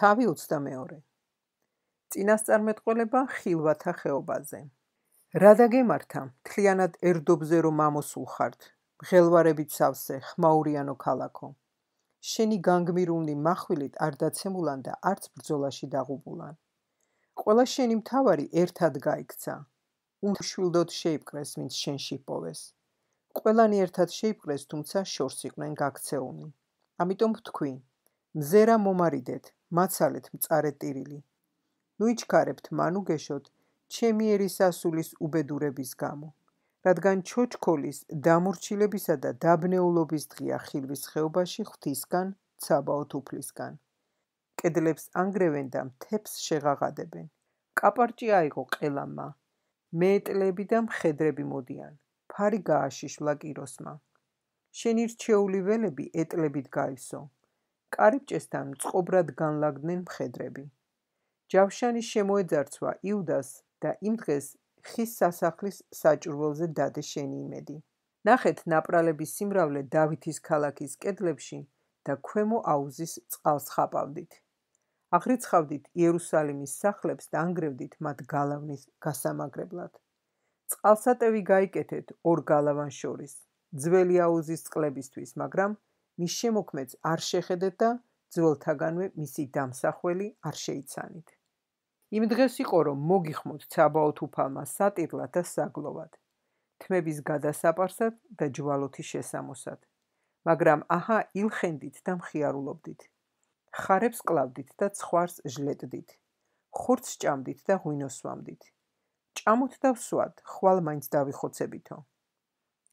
თავი 22. წინასწარმეტყველება ხილვათა ხეობაზე. რა დაგემართა, მთლიანად ერდობზე რომ ამოსულ ხართ, მღელვარებით სავსე, ხმაურიანო ქალაქო. შენი განგმირული מחვილით არ დაცემულან და არც ბრძოლაში დაღუპულან. ყველა შენი მთავარი ერთად გაიქცა. უშვილდოდ შეიპყრეს, ვინც შენში პოვეს. ყველანი ერთად შეიპყრეს, თუმცა შორს იყვნენ გაქცეულნი. ამიტომ ვთქვი, მზერა მომარიდეთ, მაცალეთ მწარე ტირილი. ნუ იჩქარებთ მან უგეშოთ, ჩემი ერისასულის უბედურების გამო, რადგან ჩოჩქოლის, დამორჩილებისა და დაბნეულობის დღეა ხილვის ხეობაში ღვთისგან, ცაბაოთ უფლისგან. კედლებს ანგრევენ და მთებს შეღაღადებენ. კაპარჭი აიღო ყელამმა, მეეტლები და მხედრები მოდიან, ფარი გააშიშვლა კიროსმა. შენი რჩეული ველები ეტლებით გაივსო. კარიბჭესთან მწყობრად განლაგდნენ მხედრები. ჯავშანი შემოეძარცვა იუდას და იმ დღეს ხის სასახლის საჭურველზე დადე შენი იმედი. ნახეთ ნაპრალების სიმრავლე დავითის ქალაქის კედლებში და ქვემო აუზის წყალს ხაპავდით. აღრიცხავდით იერუსალიმის სახლებს და ანგრევდით მათ გალავნის გასამაგრებლად. წყალსატევი გაიკეთეთ ორ გალავან შორის, ძველი აუზის წყლებისთვის, მაგრამ მის შემოქმედს არ შეხედეთ და ძველთაგანვე მისი დამსახველი არ შეიცანით. იმ დღეს იყო, რომ მოგიხმოთ ცაბაოთ უფალმა სატირლად და საგლოვად, თმების გადასაპარსად და ჯვალოთი შესამოსად. მაგრამ აჰა ილხენდით და მხიარულობდით. ხარებს კლავდით და ცხვარს ჟლეტდით. ხორცს ჭამდით და ღვინოს სვამდით. ჭამოთ და ვსვათ, ხვალ მაინც დავიხოცებითო.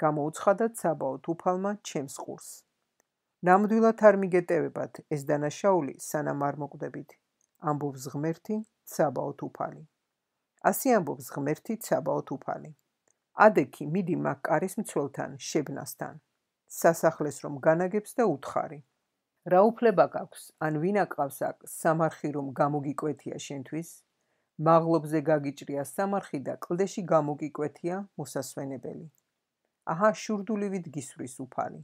გამოუცხადა ცაბაოთ უფალმა ჩემს ყურს. ნამდვილად არ მიგეტევებათ ეს დანაშაული, სანამ არ მოკვდებით, ამბობს ღმერთი ცაბაოთ უფალი. ასე ამბობს ღმერთი ცაბაოთ უფალი. ადექი მიდი მაკკარის მცველთან, შებნასთან, სასახლეს რომ განაგებს და უთხარი. რა უფლება გაქვს, ან ვინ აკყავს აქ სამარხი რომ გამოგიკვეთია შენთვის? მაღლობზე გაგიჭრია სამარხი და კლდეში გამოგიკვეთია მოსასვენებელი. აჰა შურდულივით გისვრის უფალი.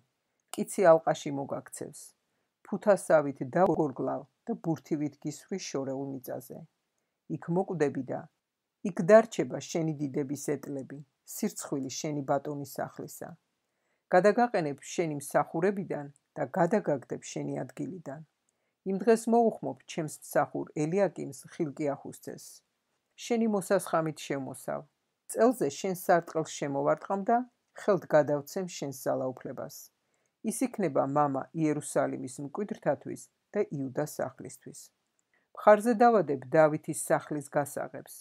კიცი ალყაში მოგაქცევს. ფუთასავით დაგორგლავ და ბურთივით გისვრის შორეულ მიწაზე. იქ მოკვდები და იქ დარჩება შენი დიდების ეტლები, სირცხვილი შენი ბატონის სახლისა. გადაგაყენებ შენი მსახურებიდან და გადაგაგდებ შენი ადგილიდან. იმ დღეს მოუხმობ ჩემს მსახურ ელიაკიმს ხილკიახუსძეს. შენი მოსასხამით შემოსავ. წელზე შენ სარტყელს შემოვარტყამ და ხელთ გადავცემ შენს ძალაუფლებას. ის იქნება მამა იერუსალიმის მკვიდრთათვის და იუდას სახლისთვის. მხარზე დავადებ დავითის სახლის გასაღებს.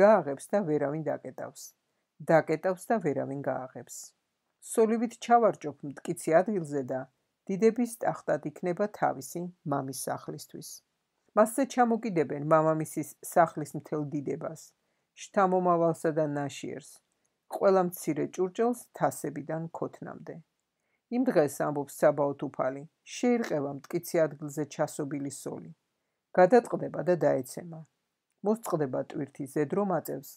გააღებს და ვერავინ დაკეტავს. დაკეტავს და ვერავინ გააღებს. სოლივით ჩავარჯობ მტკიცი ადგილზე და დიდების ტახტად იქნება თავისი მამის სახლისთვის. მასზე ჩამოკიდებენ მამამისის სახლის მთელ დიდებას, შთამომავალსა და ნაშიერს, ყველა მცირე ჭურჭელს თასებიდან ქოთნამდე. იმ დღეს ამბობს ცაბაოთ უფალი, შეირყევა მტკიცი ადგილზე ჩასობილი სოლი. გადატყდება და დაეცემა. მოსწყდება ტვირთი ზედრო მაწევს,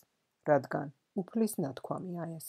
რადგან უფლის ნათქვამია ეს.